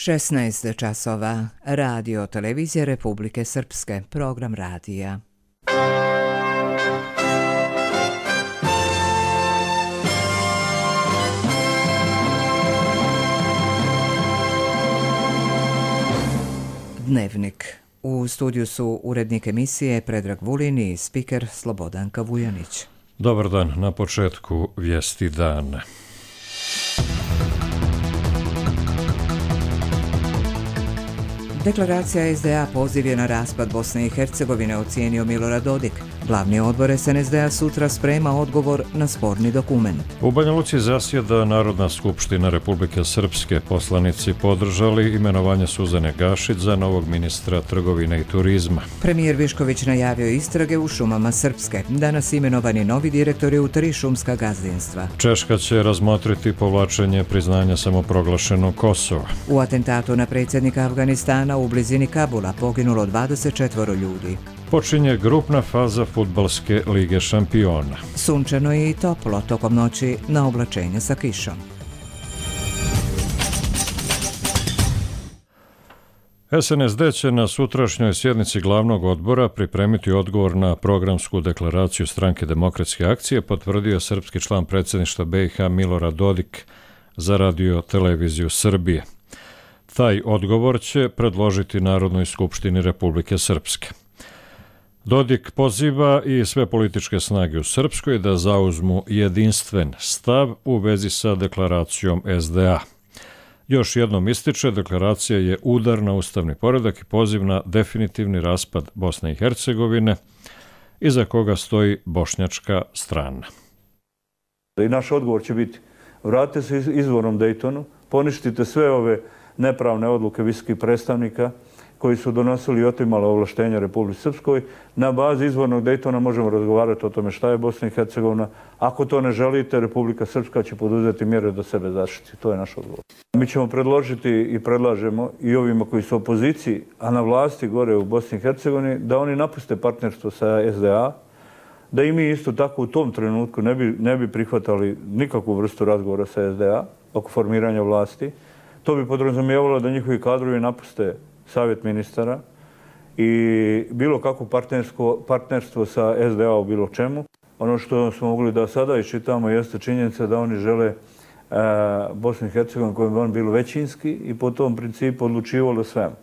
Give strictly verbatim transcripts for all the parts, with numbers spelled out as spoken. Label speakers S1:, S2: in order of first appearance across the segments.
S1: šesnaest časova. Radio Televizije Republike Srpske. Program radija. Dnevnik. U studiju su urednik emisije Predrag Vulin i spiker Slobodanka Vujanić.
S2: Dobar dan, na početku vijesti dana.
S1: Deklaracija es de a poziv je na raspad Bosne i Hercegovine, ocijenio Milorad Dodik. Glavni odbor es en es de a sutra sprema odgovor na sporni dokument.
S2: U Banja Luci zasjeda Narodna skupština Republike Srpske. Poslanici podržali imenovanje Suzane Gašić za novog ministra trgovine i turizma.
S1: Premijer Višković najavio istrage u šumama Srpske. Danas imenovani novi direktori u tri šumska gazdinstva.
S2: Češka će razmotriti povlačenje priznanja samoproglašenog Kosova.
S1: U atentatu na predsjednika Afganistana u blizini Kabula poginulo dvadeset četvoro ljudi.
S2: Počinje grupna faza fudbalske lige šampiona.
S1: Sunčano i toplo tokom noći na oblačenje sa kišom.
S2: es en es de će na sutrašnjoj sjednici glavnog odbora pripremiti odgovor na programsku deklaraciju Stranke demokratske akcije, potvrdio srpski član predsjedništva be i ha Milorad Dodik za Radio televiziju Srbije. Taj odgovor će predložiti Narodnoj skupštini Republike Srpske. Dodik poziva i sve političke snage u Srpskoj da zauzmu jedinstven stav u vezi sa deklaracijom es de a. Još jednom ističe, deklaracija je udar na ustavni poredak i poziv na definitivni raspad Bosne i Hercegovine, iza koga stoji bošnjačka strana.
S3: I naš odgovor će biti: vratite se izvornom Dejtonu, poništite sve ove nepravne odluke visokih predstavnika koji su donosili i otimali ovlaštenja Republici Srpskoj. Na bazi izvornog Dejtona možemo razgovarati o tome šta je Bosna i Hercegovina. Ako to ne želite, Republika Srpska će poduzeti mjere da sebe zaštiti. To je naš odgovor. Mi ćemo predložiti i predlažemo i ovima koji su u opoziciji, a na vlasti gore u Bosni i Hercegovini, da oni napuste partnerstvo sa es de a, da i mi isto tako u tom trenutku ne bi, ne bi prihvatali nikakvu vrstu razgovora sa es de a oko formiranja vlasti. To bi podrazumijevalo da njihovi kadrovi napuste savjet ministara i bilo kakvo partnerstvo sa es de a u bilo čemu. Ono što smo mogli da sada iščitamo jeste činjenica da oni žele e, Bosnu i Hercegovinu kojom bi on bilo većinski i po tom principu odlučivalo svemu.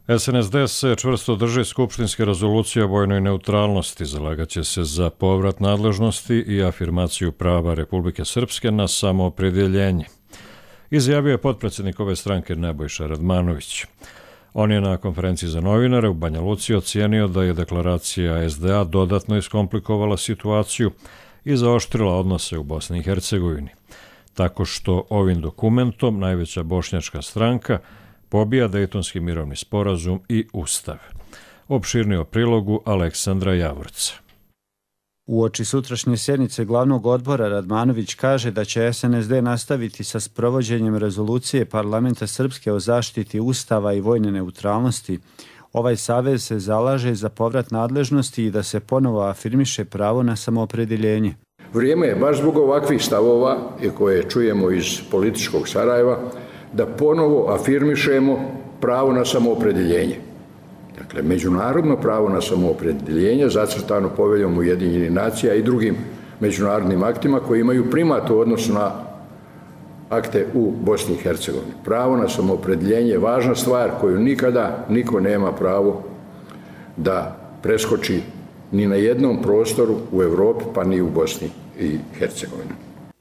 S2: es en es de se čvrsto drži skupštinske rezolucije o vojnoj neutralnosti, zalagaće se za povrat nadležnosti i afirmaciju prava Republike Srpske na samoopredjeljenje, izjavio je potpredsjednik ove stranke Nebojša Radmanović. On je na konferenciji za novinare u Banja Luci ocijenio da je deklaracija es de a dodatno iskomplikovala situaciju i zaoštrila odnose u Bosni i Hercegovini, tako što ovim dokumentom najveća bošnjačka stranka pobija Dejtonski mirovni sporazum i ustav. Opširnije o prilogu Aleksandra Javorca.
S4: Uoči sutrašnje sjednice glavnog odbora Radmanović kaže da će es en es de nastaviti sa sprovođenjem rezolucije Parlamenta Srpske o zaštiti ustava i vojne neutralnosti. Ovaj savez se zalaže za povrat nadležnosti i da se ponovo afirmiše pravo na samoopredjeljenje.
S5: Vrijeme je baš zbog ovakvih stavova koje čujemo iz političkog Sarajeva da ponovo afirmišemo pravo na samoopredjeljenje. Dakle, međunarodno pravo na samoopredjeljenje zacrtano Poveljom Ujedinjenih nacija i drugim međunarodnim aktima koji imaju primat u odnosu na akte u Bosni i Hercegovini. Pravo na samoopredjeljenje je važna stvar koju nikada niko nema pravo da preskoči ni na jednom prostoru u Europi, pa ni u Bosni i Hercegovini.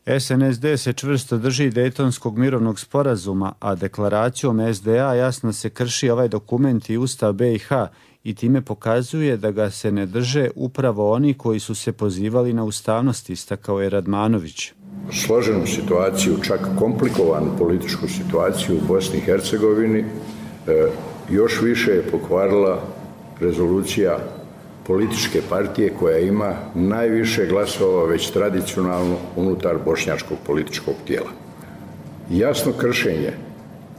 S4: es en es de se čvrsto drži Dejtonskog mirovnog sporazuma, a deklaracijom es de a jasno se krši ovaj dokument i ustav be i ha i time pokazuje da ga se ne drže upravo oni koji su se pozivali na ustavnost, istakao je Radmanović.
S5: Složenu situaciju, čak komplikovanu političku situaciju u Bosni i Hercegovini još više je pokvarila rezolucija političke partije koja ima najviše glasova već tradicionalno unutar bošnjačkog političkog tijela. Jasno kršenje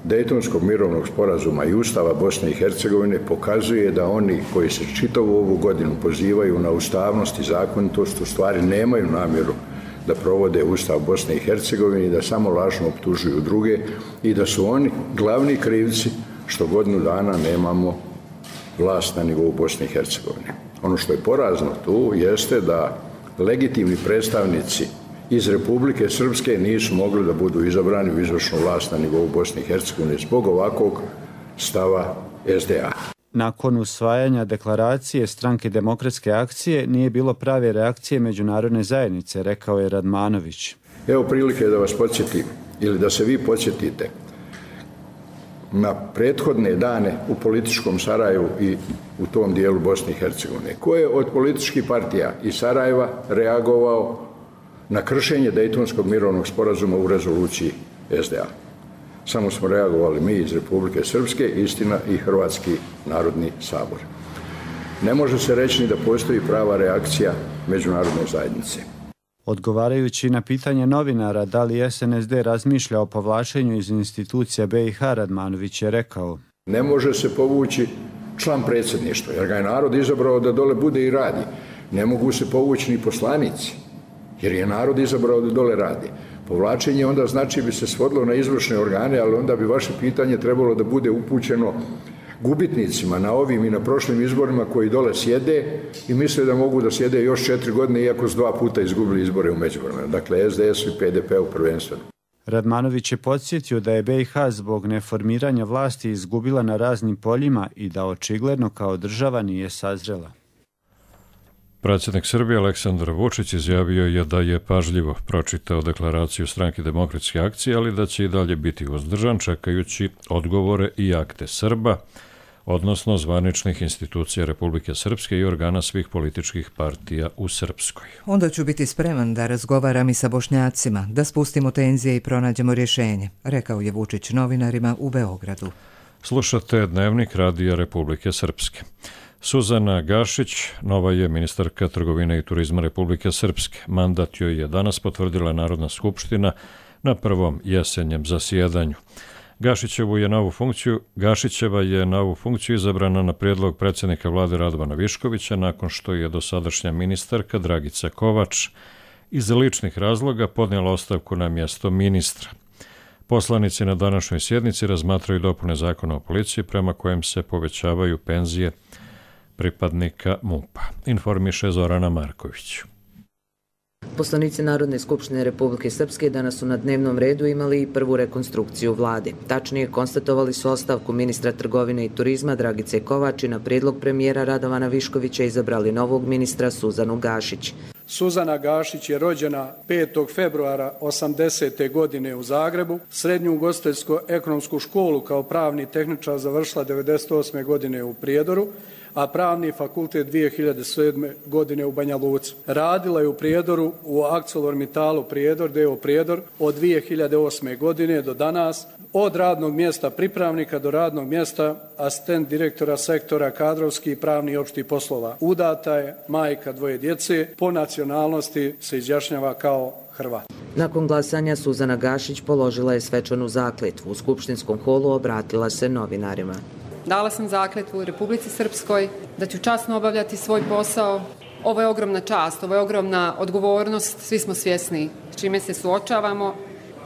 S5: Dejtonskog mirovnog sporazuma i Ustava Bosne i Hercegovine pokazuje da oni koji se čitavu ovu godinu pozivaju na ustavnost i zakonitost u stvari nemaju namjeru da provode Ustav Bosne i Hercegovine i da samo lažno optužuju druge i da su oni glavni krivci što godinu dana nemamo vlast na nivou Bosne i Hercegovine. Ono što je porazno tu jeste da legitimni predstavnici iz Republike Srpske nisu mogli da budu izabrani u izvršnu vlast na nivou Bosne i Hercegovine zbog ovakvog stava es de a.
S4: Nakon usvajanja deklaracije Stranke demokratske akcije nije bilo prave reakcije međunarodne zajednice, rekao je Radmanović.
S5: Evo prilike da vas podsjetim ili da se vi podsjetite na prethodne dane u političkom Sarajevu i u tom dijelu Bosne i Hercegovine. Ko je od političkih partija iz Sarajeva reagovao na kršenje Dejtonskog mirovnog sporazuma u rezoluciji es de a? Samo smo reagovali mi iz Republike Srpske, istina i Hrvatski narodni sabor. Ne može se reći ni da postoji prava reakcija međunarodne zajednice.
S4: Odgovarajući na pitanje novinara da li es en es de razmišlja o povlačenju iz institucija be i ha, Radmanović je rekao:
S5: Ne može se povući član predsjedništva, jer ga je narod izabrao da dole bude i radi. Ne mogu se povući ni poslanici, jer je narod izabrao da dole radi. Povlačenje onda znači bi se svodilo na izvršne organe, ali onda bi vaše pitanje trebalo da bude upućeno gubitnicima na ovim i na prošlim izborima koji dole sjede i misle da mogu da sjede još četiri godine iako su dva puta izgubili izbore u međuvremenu. Dakle, es de es i pe de pe u prvenstveno.
S4: Radmanović je podsjetio da je be i ha zbog neformiranja vlasti izgubila na raznim poljima i da očigledno kao država nije sazrela.
S2: Predsjednik Srbije Aleksandar Vučić izjavio je da je pažljivo pročitao deklaraciju Stranke demokratske akcije, ali da će i dalje biti uzdržan čekajući odgovore i akte Srba, odnosno zvaničnih institucija Republike Srpske i organa svih političkih partija u Srpskoj.
S1: Onda ću biti spreman da razgovaram i sa Bošnjacima, da spustimo tenzije i pronađemo rješenje, rekao je Vučić novinarima u Beogradu.
S2: Slušate Dnevnik Radija Republike Srpske. Suzana Gašić, nova je ministarka trgovine i turizma Republike Srpske. Mandat joj je danas potvrdila Narodna skupština na prvom jesenjem zasjedanju. Gašićevu je novu funkciju, Gašićeva je na ovu funkciju izabrana na prijedlog predsjednika vlade Radovana Viškovića nakon što je dosadašnja ministarka Dragica Kovač iz ličnih razloga podnijela ostavku na mjesto ministra. Poslanici na današnjoj sjednici razmatraju dopune zakona o policiji prema kojem se povećavaju penzije pripadnika MUP-a, informiše Zorana Marković.
S6: Poslanici Narodne skupštine Republike Srpske danas su na dnevnom redu imali i prvu rekonstrukciju vlade. Tačnije, konstatovali su ostavku ministra trgovine i turizma Dragice Kovač i na prijedlog premijera Radovana Viškovića izabrali novog ministra Suzanu Gašić.
S7: Suzana Gašić je rođena petog februara osamdesete godine u Zagrebu. Srednju ugostiteljsko-ekonomsku školu kao pravni tehničar završila devedeset osme godine u Prijedoru, a pravni fakultet dvije hiljade sedme godine u Banja Luci. Radila je u Prijedoru u ArcelorMittalu Prijedor, D O Prijedor, od dvije hiljade osme godine do danas, od radnog mjesta pripravnika do radnog mjesta asistent direktora sektora kadrovski i pravni opšti poslova. Udata je, majka dvoje djece, po nacionalnosti se izjašnjava kao Hrvat.
S6: Nakon glasanja Suzana Gašić položila je svečanu zakletvu. U skupštinskom holu obratila se novinarima.
S8: Dala sam zakletvu u Republici Srpskoj da ću časno obavljati svoj posao. Ovo je ogromna čast, ovo je ogromna odgovornost, svi smo svjesni s čime se suočavamo.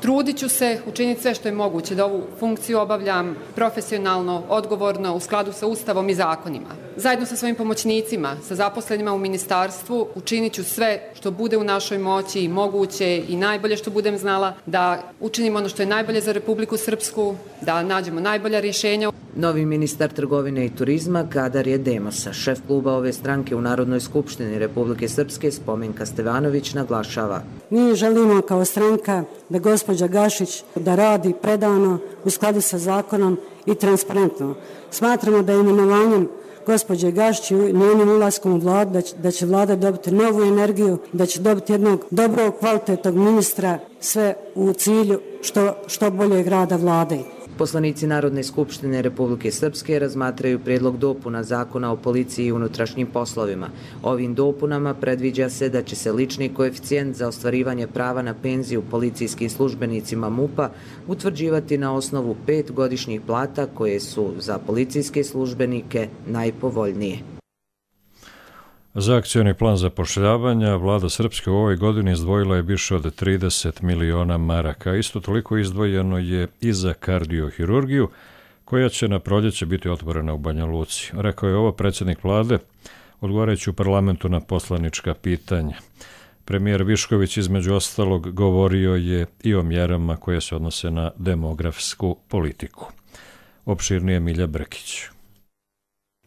S8: Trudit ću se učiniti sve što je moguće da ovu funkciju obavljam profesionalno, odgovorno, u skladu sa Ustavom i zakonima. Zajedno sa svojim pomoćnicima, sa zaposlenima u ministarstvu, učinit ću sve što bude u našoj moći i moguće i najbolje što budem znala da učinimo ono što je najbolje za Republiku Srpsku, da nađemo najbolja rješenja.
S6: Novi ministar trgovine i turizma Kadar je Demosa. Šef kluba ove stranke u Narodnoj skupštini Republike Srpske Spomenka Stevanović naglašava.
S9: Mi želimo kao stranka da gospođa Gašić da radi predano u skladu sa zakonom i transparentno. Smatramo da je imenovanjem gospođe Gašić i njenim ulaskom u vladu da će, da će vlada dobiti novu energiju, da će dobiti jednog dobrog, kvalitetnog ministra, sve u cilju što, što boljeg rada vlade.
S6: Poslanici Narodne skupštine Republike Srpske razmatraju prijedlog dopuna zakona o policiji i unutrašnjim poslovima. Ovim dopunama predviđa se da će se lični koeficijent za ostvarivanje prava na penziju policijskim službenicima MUP-a utvrđivati na osnovu pet godišnjih plata koje su za policijske službenike najpovoljnije.
S2: Za akcioni plan zapošljavanja vlada Srpske u ovoj godini izdvojila je više od trideset miliona maraka. Isto toliko izdvojeno je i za kardiohirurgiju, koja će na proljeće biti otvorena u Banja Luci. Rekao je ovo predsjednik vlade, odgovarajući u parlamentu na poslanička pitanja. Premijer Višković između ostalog govorio je i o mjerama koje se odnose na demografsku politiku. Opširnije Milja Brkić.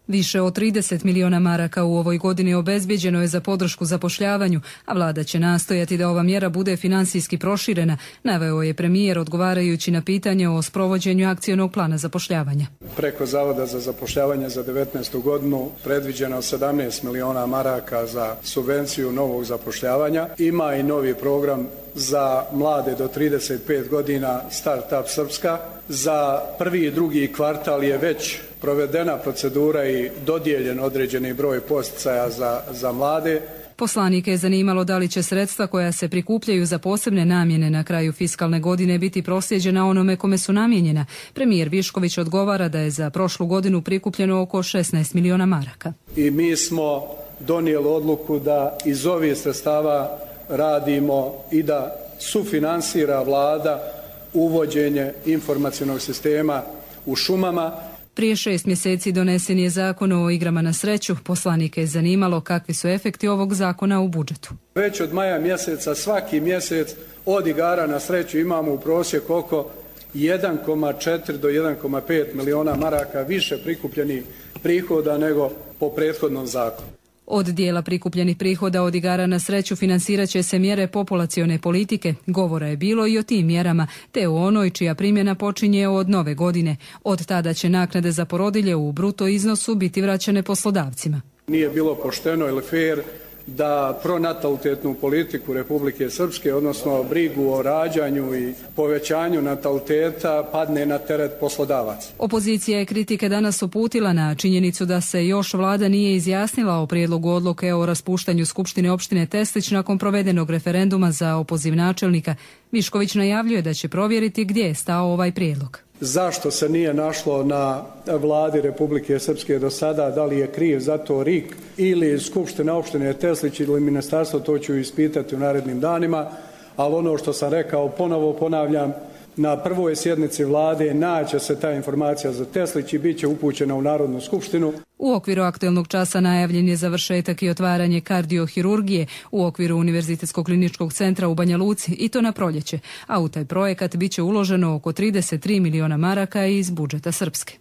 S10: Više od trideset miliona maraka u ovoj godini obezbijeđeno je za podršku zapošljavanju, a vlada će nastojati da ova mjera bude finansijski proširena, naveo je premijer odgovarajući na pitanje o sprovođenju akcionog plana zapošljavanja.
S7: Preko Zavoda za zapošljavanje za devetnaestu godinu predviđeno sedamnaest miliona maraka za subvenciju novog zapošljavanja. Ima i novi program za mlade do trideset pet godina Startup Srpska. Za prvi i drugi kvartal je već provedena procedura i dodijeljen određeni broj posticaja za, za mlade.
S10: Poslanike je zanimalo da li će sredstva koja se prikupljaju za posebne namjene na kraju fiskalne godine biti proslijeđena onome kome su namijenjena. Premijer Višković odgovara da je za prošlu godinu prikupljeno oko šesnaest miliona maraka.
S7: I mi smo donijeli odluku da iz ovih sredstava radimo i da sufinansira vlada uvođenje informacionog sistema u šumama.
S10: Prije šest mjeseci donesen je zakon o igrama na sreću. Poslanike je zanimalo kakvi su efekti ovog zakona u budžetu.
S7: Već od maja mjeseca svaki mjesec od igara na sreću imamo u prosjeku oko jedan zarez četiri do jedan zarez pet miliona maraka više prikupljenih prihoda nego po prethodnom zakonu.
S10: Od dijela prikupljenih prihoda od igara na sreću financirat će se mjere populacione politike. Govora je bilo i o tim mjerama, te o onoj čija primjena počinje od nove godine. Od tada će naknade za porodilje u bruto iznosu biti vraćane poslodavcima.
S7: Nije bilo pošteno ili fair da pronatalitetnu politiku Republike Srpske, odnosno brigu o rađanju i povećanju nataliteta, padne na teret poslodavaca.
S10: Opozicija je kritike danas uputila na činjenicu da se još vlada nije izjasnila o prijedlogu odluke o raspuštanju Skupštine opštine Teslić nakon provedenog referenduma za opoziv načelnika. Višković najavljuje da će provjeriti gdje je stao ovaj prijedlog.
S7: Zašto se nije našlo na vladi Republike Srpske do sada, da li je kriv za to R I K ili Skupština opštine Teslić ili ministarstvo, to ću ispitati u narednim danima, ali ono što sam rekao ponovo ponavljam, na prvoj sjednici vlade naće se ta informacija za Teslić i bit će upućena u Narodnu skupštinu.
S10: U okviru aktuelnog časa najavljen je završetak i otvaranje kardiohirurgije u okviru Univerzitetskog kliničkog centra u Banja Luci i to na proljeće, a u taj projekat bit će uloženo oko trideset tri miliona maraka iz budžeta Srpske.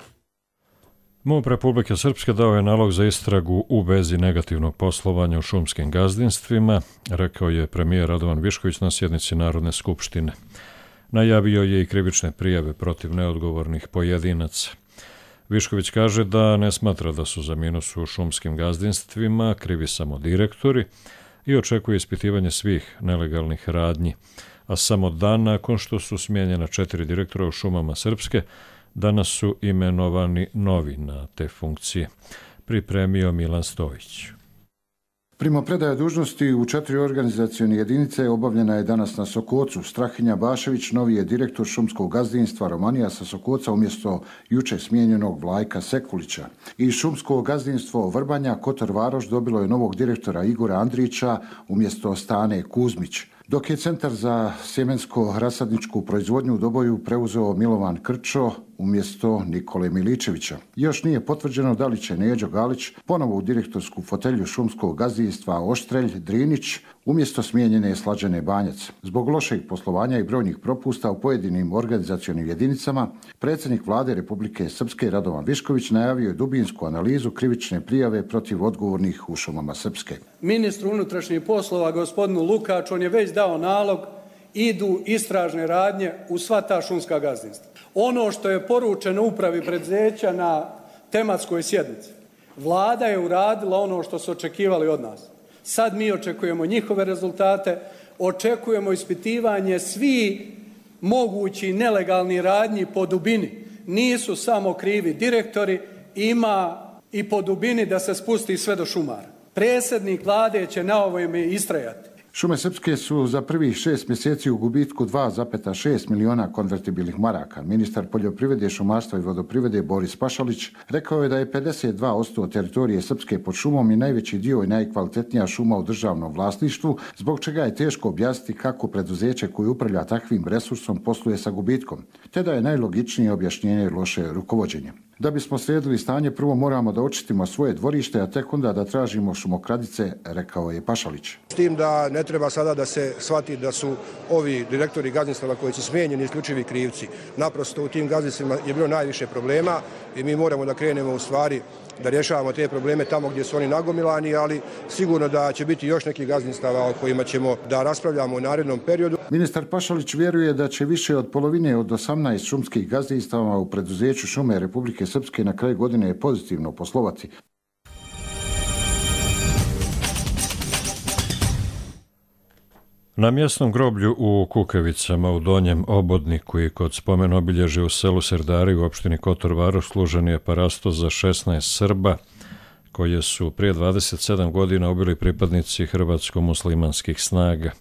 S2: MUP Republike Srpske dao je nalog za istragu u vezi negativnog poslovanja u šumskim gazdinstvima, rekao je premijer Radovan Višković na sjednici Narodne skupštine. Najavio je i krivične prijave protiv neodgovornih pojedinaca. Višković kaže da ne smatra da su za minus u šumskim gazdinstvima krivi samo direktori i očekuje ispitivanje svih nelegalnih radnji, a samo dan nakon što su smijenjena četiri direktora u šumama Srpske, danas su imenovani novi na te funkcije. Pripremio Milan Stojić.
S11: Primopredaja dužnosti u četiri organizacione jedinice obavljena je danas na Sokocu. Strahinja Bašević, novi je direktor šumskog gazdinstva Romanija sa Sokoca umjesto juče smijenjenog Vlajka Sekulića. I šumsko gazdinstvo Vrbanja Kotor Varoš dobilo je novog direktora Igora Andrića umjesto Stane Kuzmić. Dok je Centar za sjemensko-rasadničku proizvodnju u Doboju preuzeo Milovan Krčo umjesto Nikole Miličevića. Još nije potvrđeno da li će Neđo Galić ponovo u direktorsku fotelju šumskog gazdinstva Oštrelj Drinić umjesto smijenjene Slađane Banjac. Zbog lošeg poslovanja i brojnih propusta u pojedinim organizacionim jedinicama, predsjednik vlade Republike Srpske Radovan Višković najavio je dubinsku analizu krivične prijave protiv odgovornih u šumama Srpske.
S7: Ministru unutrašnjih poslova gospodinu Lukaču, on je već dao nalog, idu istražne radnje u sva ta šumska gazdinstva. Ono što je poručeno upravi preduzeća na tematskoj sjednici, vlada je uradila ono što su očekivali od nas. Sad mi očekujemo njihove rezultate, očekujemo ispitivanje svi mogući nelegalni radnji po dubini. Nisu samo krivi direktori, ima i po dubini da se spusti sve do šumara. Predsjednik vlade će na ovome istrajati.
S11: Šume Srpske su za prvih šest mjeseci u gubitku dva zarez šest miliona konvertibilnih maraka. Ministar poljoprivrede, šumarstva i vodoprivrede Boris Pašalić rekao je da je pedeset dva posto teritorije Srpske pod šumom i najveći dio i najkvalitetnija šuma u državnom vlasništvu, zbog čega je teško objasniti kako preduzeće koje upravlja takvim resursom posluje sa gubitkom, te da je najlogičnije objašnjenje loše rukovođenje. Da bismo sredili stanje, prvo moramo da očistimo svoje dvorište, a tek onda da tražimo šumokradice, rekao je Pašalić.
S12: S tim da ne treba sada da se shvati da su ovi direktori gazdinstava koji su smijenjeni isključivi krivci. Naprosto u tim gazdinstvima je bilo najviše problema i mi moramo da krenemo u stvari da rješavamo te probleme tamo gdje su oni nagomilani, ali sigurno da će biti još neki gazdinstava o kojima ćemo da raspravljamo u narednom periodu.
S11: Ministar Pašalić vjeruje da će više od polovine od osamnaest šumskih gazdinstava u preduzeću Šume Republike Srpske na kraju godine pozitivno poslovati.
S2: Na mjesnom groblju u Kukavicama u Donjem Obodniku i kod spomen obilježja u selu Serdari u opštini Kotor Varoš služen je parasto za šesnaest Srba koje su prije dvadeset sedam godina ubili pripadnici hrvatsko-muslimanskih snaga.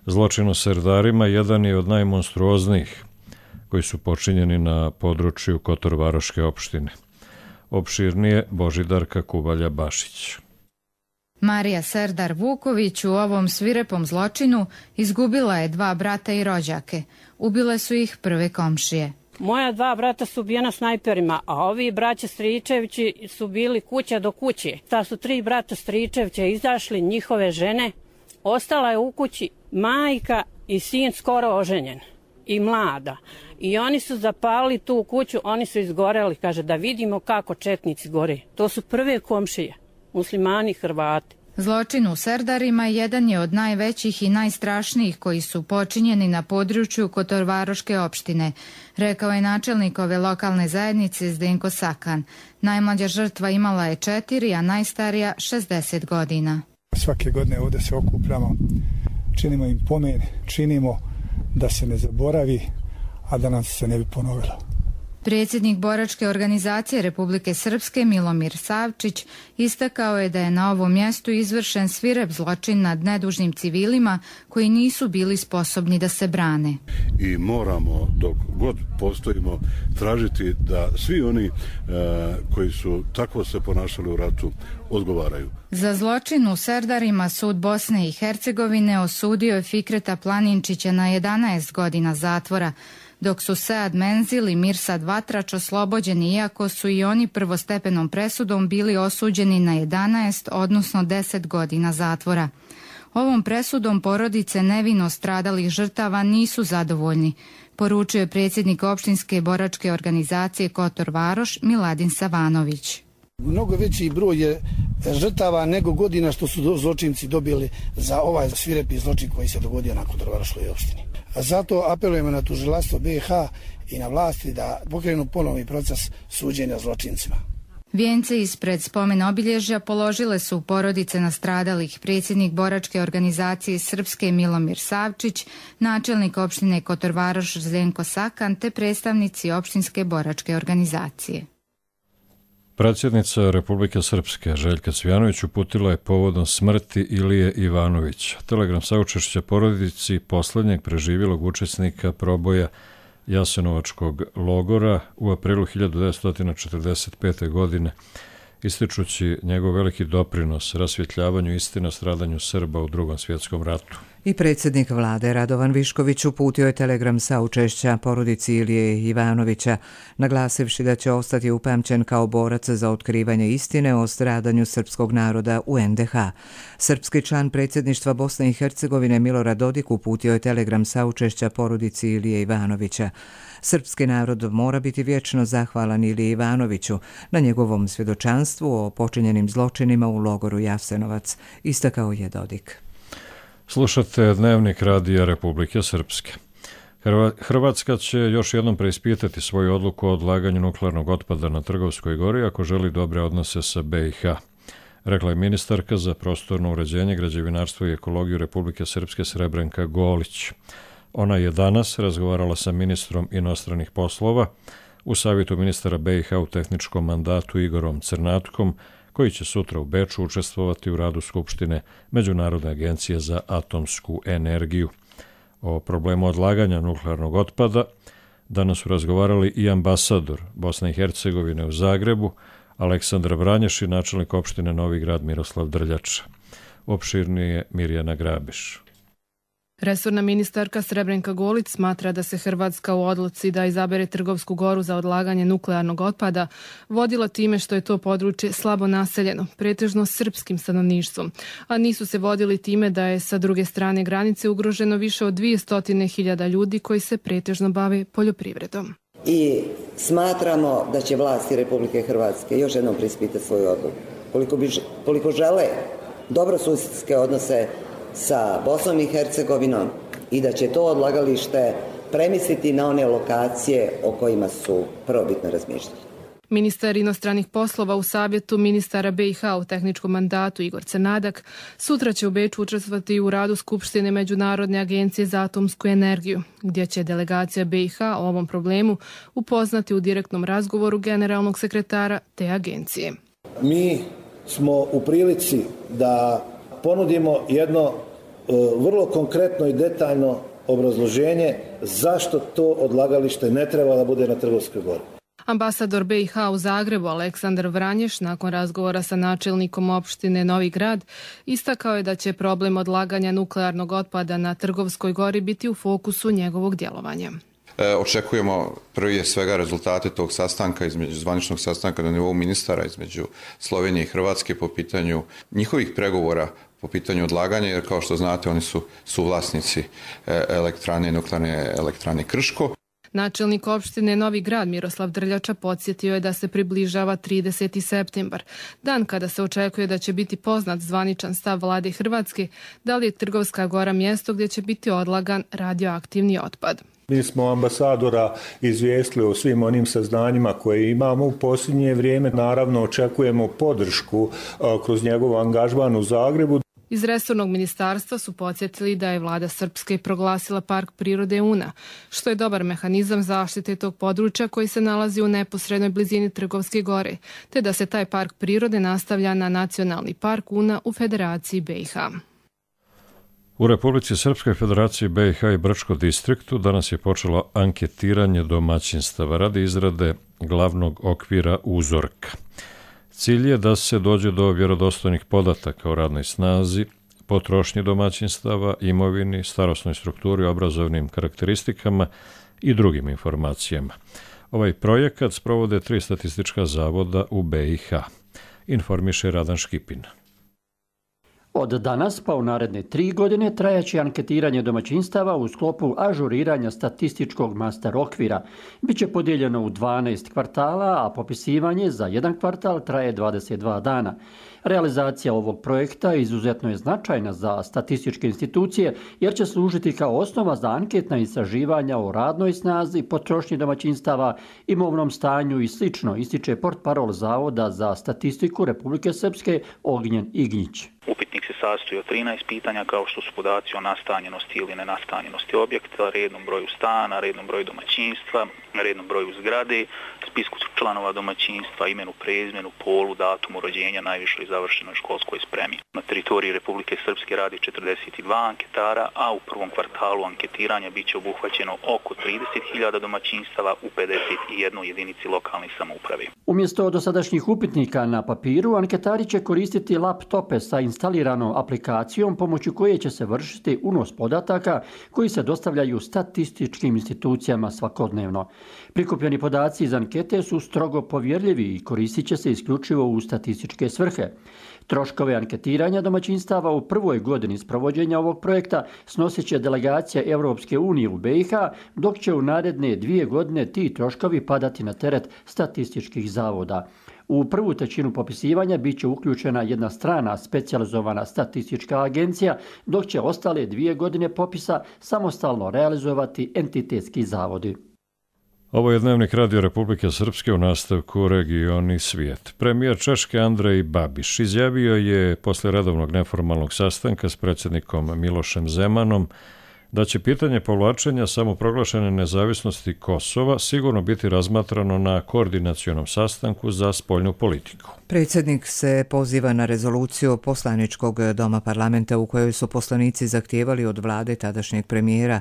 S2: Zločin u Serdarima jedan je od najmonstruoznijih koji su počinjeni na području Kotorvaroške opštine. Opširnije Božidarka Kubalja-Bašić.
S13: Marija Serdar Vuković u ovom svirepom zločinu izgubila je dva brata i rođake. Ubile su ih prve komšije.
S14: Moja dva brata su ubijena snajperima, a ovi braća Stričevići su bili kuća do kuće. Ta su tri brata Stričevića izašli, njihove žene. Ostala je u kući majka i sin skoro oženjen i mlada. I oni su zapalili tu kuću, oni su izgoreli, kaže, da vidimo kako četnici gore. To su prve komšije, muslimani, Hrvati.
S13: Zločin u Serdarima jedan je od najvećih i najstrašnijih koji su počinjeni na području Kotorvaroške opštine, rekao je načelnik ove lokalne zajednice Zdenko Sakan. Najmlađa žrtva imala je četiri, a najstarija šezdeset godina.
S15: Svake godine ovdje se okupljamo, činimo im pomen, činimo da se ne zaboravi, a da nam se ne bi ponovilo.
S13: Predsjednik boračke organizacije Republike Srpske Milomir Savčić istakao je da je na ovom mjestu izvršen svirep zločin nad nedužnim civilima koji nisu bili sposobni da se brane.
S16: I moramo, dok god postojimo, tražiti da svi oni e, koji su tako se ponašali u ratu odgovaraju.
S13: Za zločin u Serdarima sud Bosne i Hercegovine osudio je Fikreta Planinčića na jedanaest godina zatvora, dok su Sead Menzil i Mirsad Vatrač oslobođeni, iako su i oni prvostepenom presudom bili osuđeni na jedanaest, odnosno deset godina zatvora. Ovom presudom porodice nevino stradalih žrtava nisu zadovoljni, poručio je predsjednik opštinske boračke organizacije Kotor Varoš Miladin Savanović.
S17: Mnogo veći broj je žrtava nego godina što su zločinci dobili za ovaj svirepi zločin koji se dogodio na Kotorvaroškoj opštini. Zato apelujemo na tužilaštvo B i H i na vlasti da pokrenu ponovni proces suđenja zločincima.
S13: Vijence ispred spomen obilježja položile su porodice nastradalih predsjednik boračke organizacije Srpske Milomir Savčić, načelnik opštine Kotorvaroš Zdenko Sakan te predstavnici opštinske boračke organizacije.
S2: Predsjednica Republike Srpske Željka Cvijanović uputila je povodom smrti Ilije Ivanovića. Telegram saučešća porodici posljednjeg preživjelog učesnika proboja Jasenovačkog logora u aprilu hiljadu devetsto četrdeset pete. godine, ističući njegov veliki doprinos rasvjetljavanju istine o stradanju Srba u Drugom svjetskom ratu.
S1: I predsjednik vlade Radovan Višković uputio je telegram saučešća porodici Ilije Ivanovića, naglasivši da će ostati upamćen kao borac za otkrivanje istine o stradanju srpskog naroda u en de ha. Srpski član predsjedništva Bosne i Hercegovine Milorad Dodik uputio je telegram saučešća porodici Ilije Ivanovića. Srpski narod mora biti vječno zahvalan Iliji Ivanoviću na njegovom svjedočanstvu o počinjenim zločinima u logoru Jasenovac, istakao je Dodik.
S2: Slušate Dnevnik Radija Republike Srpske. Hrvatska će još jednom preispitati svoju odluku o odlaganju nuklearnog otpada na Trgovskoj gori ako želi dobre odnose sa be i ha, rekla je ministarka za prostorno uređenje, građevinarstvo i ekologiju Republike Srpske Srebrenka Golić. Ona je danas razgovarala sa ministrom inostranih poslova u savjetu ministara be i ha u tehničkom mandatu Igorom Crnatkom, koji će sutra u Beču učestvovati u radu Skupštine Međunarodne agencije za atomsku energiju. O problemu odlaganja nuklearnog otpada danas su razgovarali i ambasador Bosne i Hercegovine u Zagrebu, Aleksandar Vranješ, i načelnik opštine Novi Grad Miroslav Drljača. Opširnije Mirjana Grabiš.
S18: Resorna ministarka Srebrenka Golić smatra da se Hrvatska u odluci da izabere Trgovsku goru za odlaganje nuklearnog otpada vodila time što je to područje slabo naseljeno, pretežno srpskim stanovništvom, a nisu se vodili time da je sa druge strane granice ugroženo više od dvjesto hiljada ljudi koji se pretežno bave poljoprivredom.
S19: I smatramo da će vlasti Republike Hrvatske još jednom preispitati svoju odluku. Koliko, bi, koliko žele dobrosusjedske odnose sa Bosnom i Hercegovinom i da će to odlagalište premisliti na one lokacije o kojima su prvobitno razmišljali.
S18: Ministar inostranih poslova u savjetu ministara B i H u tehničkom mandatu Igor Crnadak sutra će u Beču učestvovati u radu Skupštine Međunarodne agencije za atomsku energiju, gdje će delegacija B i H o ovom problemu upoznati u direktnom razgovoru generalnog sekretara te agencije.
S20: Mi smo u prilici da ponudimo jedno vrlo konkretno i detaljno obrazloženje zašto to odlagalište ne treba da bude na Trgovskoj gori.
S18: Ambasador B i H u Zagrebu Aleksandar Vranješ nakon razgovora sa načelnikom opštine Novi Grad istakao je da će problem odlaganja nuklearnog otpada na Trgovskoj gori biti u fokusu njegovog djelovanja.
S21: E, očekujemo prije svega rezultate tog sastanka, između zvaničnog sastanka na nivou ministara između Slovenije i Hrvatske po pitanju njihovih pregovora po pitanju odlaganja, jer kao što znate oni su suvlasnici elektrane, nuklearne elektrane Krško.
S18: Načelnik opštine Novi Grad Miroslav Drljača podsjetio je da se približava trideseti septembar, dan kada se očekuje da će biti poznat zvaničan stav vlade Hrvatske da li je Trgovska gora mjesto gdje će biti odlagan radioaktivni otpad.
S22: Mi smo ambasadora izvijestili o svim onim saznanjima koje imamo u posljednje vrijeme. Naravno očekujemo podršku kroz njegov angažman u Zagrebu.
S18: Iz resornog ministarstva su podsjetili da je vlada Srpske proglasila park prirode Una, što je dobar mehanizam zaštite tog područja koji se nalazi u neposrednoj blizini Trgovske gore, te da se taj park prirode nastavlja na nacionalni park Una u Federaciji B i H.
S2: U Republici Srpskoj, Federaciji B i H i Brčko distriktu danas je počelo anketiranje domaćinstava radi izrade glavnog okvira uzorka. Cilj je da se dođe do vjerodostojnih podataka o radnoj snazi, potrošnji domaćinstava, imovini, starosnoj strukturi, obrazovnim karakteristikama i drugim informacijama. Ovaj projekat sprovode tri statistička zavoda u B i H. Informiše Radan Škipin.
S23: Od danas pa u naredne tri godine trajaće anketiranje domaćinstava u sklopu ažuriranja statističkog master okvira. Biće podijeljeno u dvanaest kvartala, a popisivanje za jedan kvartal traje dvadeset dva dana. Realizacija ovog projekta izuzetno je značajna za statističke institucije jer će služiti kao osnova za anketna istraživanja o radnoj snazi, potrošnji domaćinstava, imovnom stanju i slično, ističe portparol Zavoda za statistiku Republike Srpske Ognjen Ignjić.
S24: Upitnik se sastoji od trinaest pitanja kao što su podaci o nastanjenosti ili nenastanjenosti objekta, rednom broju stana, rednom broju domaćinstva, rednom broju zgrade, spisku članova domaćinstva, imenu, prezimenu, polu, datumu rođenja, najvišoj završenoj školskoj spremi. Na teritoriji Republike Srpske radi četrdeset dva anketara, a u prvom kvartalu anketiranja biće obuhvaćeno oko trideset hiljada domaćinstava u pedeset jednoj jedinici lokalne samouprave.
S23: Umjesto dosadašnjih upitnika na papiru, anketari će koristiti laptope sa instaliranom aplikacijom pomoću koje će se vršiti unos podataka koji se dostavljaju statističkim institucijama svakodnevno. Prikupljeni podaci iz ankete su strogo povjerljivi i koristit će se isključivo u statističke svrhe. Troškove anketiranja domaćinstava u prvoj godini sprovođenja ovog projekta snosit će delegacija Europske unije u B i H, dok će u naredne dvije godine ti troškovi padati na teret statističkih zavoda. U prvu trećinu popisivanja bit će uključena jedna strana specijalizovana statistička agencija, dok će ostale dvije godine popisa samostalno realizovati entitetski zavodi.
S2: Ovo je Dnevnik Radio Republike Srpske u nastavku Regioni svijet. Premijer Češke Andrej Babiš izjavio je posle redovnog neformalnog sastanka s predsjednikom Milošem Zemanom da će pitanje povlačenja samoproglašene nezavisnosti Kosova sigurno biti razmatrano na koordinacionom sastanku za spoljnu politiku.
S1: Predsjednik se poziva na rezoluciju poslaničkog doma parlamenta u kojoj su poslanici zahtijevali od vlade tadašnjeg premijera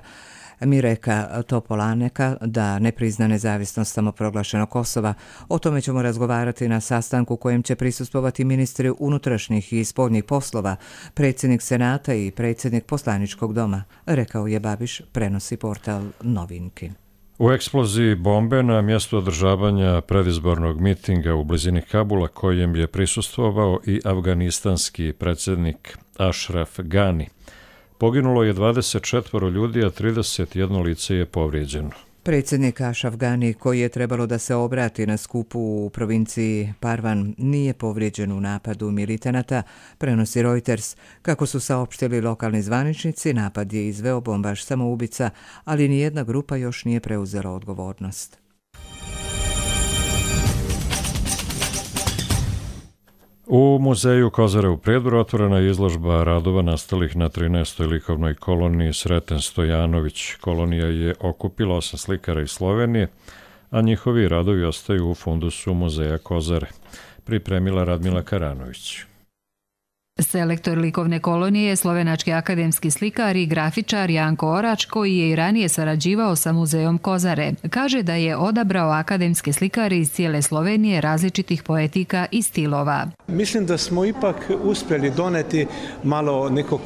S1: Mireka Topolaneka da ne prizna nezavisnost samoproglašenog Kosova. O tome ćemo razgovarati na sastanku kojem će prisustvovati ministri unutrašnjih i spoljnih poslova, predsjednik Senata i predsjednik poslaničkog doma, rekao je Babiš, prenosi portal Novinki.
S2: U eksploziji bombe na mjestu održavanja predizbornog mitinga u blizini Kabula, kojem je prisustvovao i afganistanski predsjednik Ashraf Ghani, poginulo je dvadeset četvoro ljudi, a trideset jedno lice je povrijeđeno.
S1: Predsjednik Ashraf Ghani, koji je trebalo da se obrati na skupu u provinciji Parvan, nije povrijeđen u napadu militanata, prenosi Reuters. Kako su saopštili lokalni zvaničnici, napad je izveo bombaš samoubica, ali nijedna grupa još nije preuzela odgovornost.
S2: U muzeju Kozare u Prijedoru otvorena je izložba radova nastalih na trinaestoj likovnoj koloniji Sreten Stojanović. Kolonija je okupila osam slikara iz Slovenije, a njihovi radovi ostaju u fundusu muzeja Kozare. Pripremila Radmila Karanović.
S10: Selektor likovne kolonije je slovenački akademski slikar i grafičar Janko Orač, koji je i ranije sarađivao sa muzejom Kozare. Kaže da je odabrao akademske slikare iz cijele Slovenije različitih poetika i stilova.
S3: Mislim da smo ipak uspjeli doneti malo nekog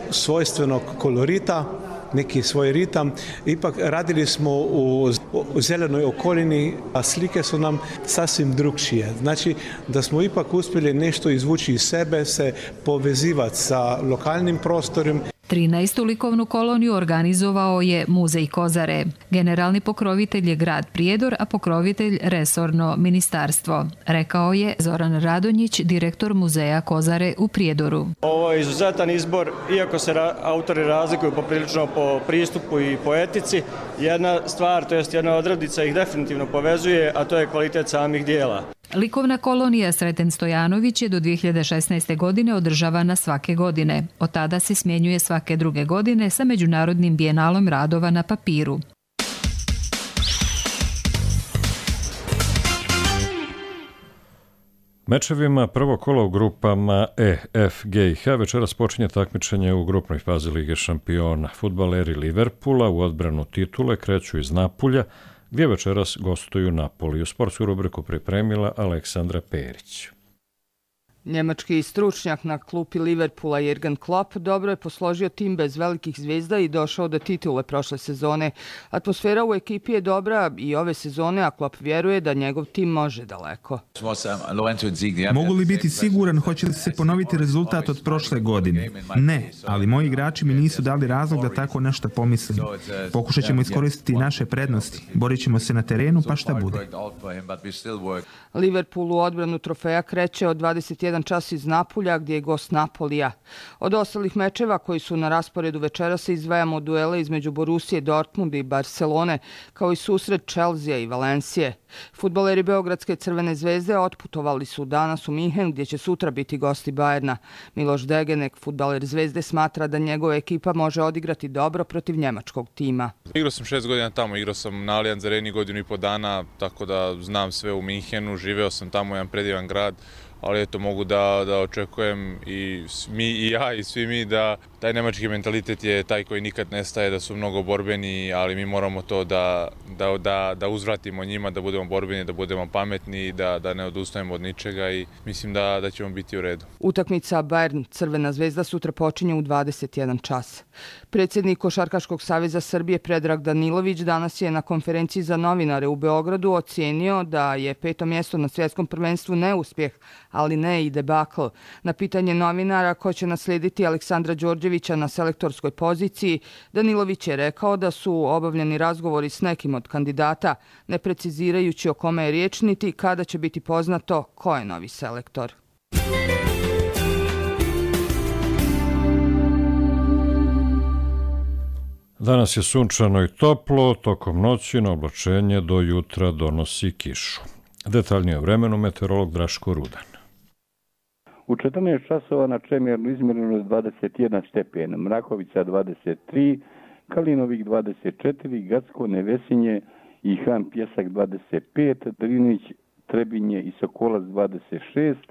S3: svojstvenog kolorita, neki svoj ritam. Ipak radili smo u zelenoj okolini, a slike su nam sasvim drugčije. Znači da smo ipak uspjeli nešto izvući iz sebe, se povezivati sa lokalnim prostorom.
S10: trinaestu likovnu koloniju organizovao je Muzej Kozare. Generalni pokrovitelj je grad Prijedor, a pokrovitelj resorno ministarstvo, rekao je Zoran Radonjić, direktor Muzeja Kozare u Prijedoru.
S4: Ovo je izuzetan izbor, iako se ra- autori razlikuju poprilično po pristupu i po etici. Jedna stvar, to jest jedna odrednica ih definitivno povezuje, a to je kvalitet samih dijela.
S10: Likovna kolonija Sreten Stojanović je do dvije hiljade šesnaeste. godine održavana svake godine. Od tada se smjenjuje svake druge godine sa Međunarodnim bijenalom radova na papiru.
S2: Mečevima prvo kolo u grupama E, F, G i H večeras počinje takmičenje u grupnoj fazi Lige šampiona. Fudbaleri Liverpoola u odbranu titule kreću iz Napulja, gdje večeras gostuju Napoli. U sportsku rubriku pripremila Aleksandra Perić.
S5: Njemački stručnjak na klupi Liverpoola Jürgen Klopp dobro je posložio tim bez velikih zvijezda i došao do titule prošle sezone. Atmosfera u ekipi je dobra i ove sezone, a Klopp vjeruje da njegov tim može daleko.
S8: Mogu li biti siguran hoće li se ponoviti rezultat od prošle godine? Ne, ali moji igrači mi nisu dali razlog da tako nešto pomislim. Pokušat ćemo iskoristiti naše prednosti. Borit ćemo se na terenu pa šta bude.
S5: Liverpool u odbranu trofeja kreće od dvadeset jedan čas iz Napulja, gdje je gost Napolija. Od ostalih mečeva koji su na rasporedu večera se izdvajamo duele između Borusije, Dortmunda i Barcelone, kao i susret Chelsea i Valencije. Fudbaleri Beogradske Crvene zvezde otputovali su danas u Minhen, gdje će sutra biti gosti Bajerna. Miloš Degenek, fudbaler Zvezde, smatra da njegova ekipa može odigrati dobro protiv njemačkog tima.
S25: Igrao sam šest godina tamo, igrao sam na Allianz Areni godinu i po dana, tako da znam sve u Minhenu, živeo sam tamo, jedan predivan grad, ali eto mogu da, da očekujem i mi i ja i svi mi da taj nemački mentalitet je taj koji nikad nestaje, da su mnogo borbeni, ali mi moramo to da, da, da, da uzvratimo njima, da budemo borbeni, da budemo pametni, da, da ne odustajemo od ničega i mislim da, da ćemo biti u redu.
S5: Utakmica Bayern Crvena zvezda sutra počinje u dvadeset jedan čas. Predsjednik Košarkaškog saveza Srbije Predrag Danilović danas je na konferenciji za novinare u Beogradu ocijenio da je peto mjesto na svjetskom prvenstvu neuspjeh, ali ne i debakl. Na pitanje novinara ko će naslijediti Aleksandra Đorđevića na selektorskoj poziciji, Danilović je rekao da su obavljeni razgovori s nekim od kandidata, ne precizirajući o kome je riječ niti kada će biti poznato ko je novi selektor.
S2: Danas je sunčano i toplo, tokom noći na oblačenje do jutra donosi kišu. Detaljnije o vremenu meteorolog Draško Rudan.
S26: U četrnaest časova na Čemirnu izmjereno dvadeset jedan stepen, Mrakovica dvadeset tri,
S6: Kalinovik dvadeset četiri, Gacko, Nevesinje i Han Pjesak dvadeset pet, Drinić, Trebinje i Sokolac dvadeset šest,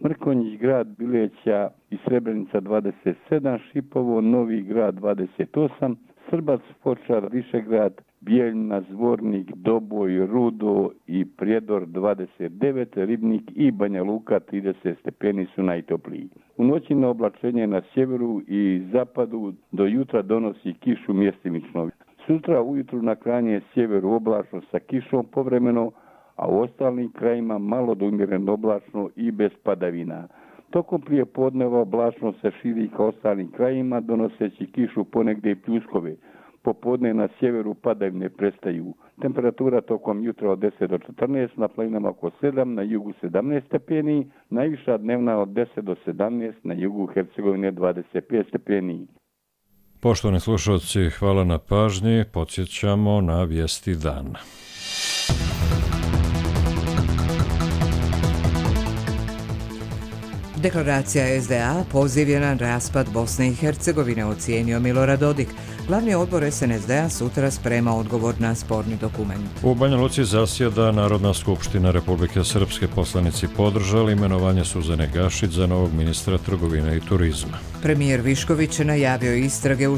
S6: Mrkonjić, grad Bileća i Srebrenica dvadeset sedam, Šipovo, Novi grad dvadeset osam, Srbac, Fočar, Višegrad, Bijeljna, Zvornik, Doboj, Rudo i Prijedor dvadeset devet, Ribnik i Banja Luka trideset stepeni su najtopliji. U noći na oblačenje na sjeveru i zapadu do jutra donosi kišu mjestimično. Sutra ujutru na krajnje sjeveru oblačno sa kišom povremeno, a u ostalim krajima malo do umjereno oblačno i bez padavina. Tokom prije podneva oblačno se širi ka ostalim krajima, donoseći kišu ponegdje i pljuskove. Popodne na sjeveru padavine prestaju. Temperatura tokom jutra od deset do četrnaest, na planinama oko sedam, na jugu sedamnaest stepeni, najviša dnevna od deset do sedamnaest, na jugu Hercegovine dvadeset pet stepeni.
S2: Poštovani slušalci, hvala na pažnji. Podsjećamo na vijesti dana.
S1: Deklaracija S D A poziv je na raspad Bosne i Hercegovine, ocijenio Milorad Dodik. Glavni odbor S N S D A sutra sprema odgovor na sporni dokument.
S2: U Banja Luci zasjeda Narodna skupština Republike Srpske. Poslanici podržali imenovanje Suzane Gašić za novog ministra trgovine i turizma.
S1: Premijer Višković najavio istrage u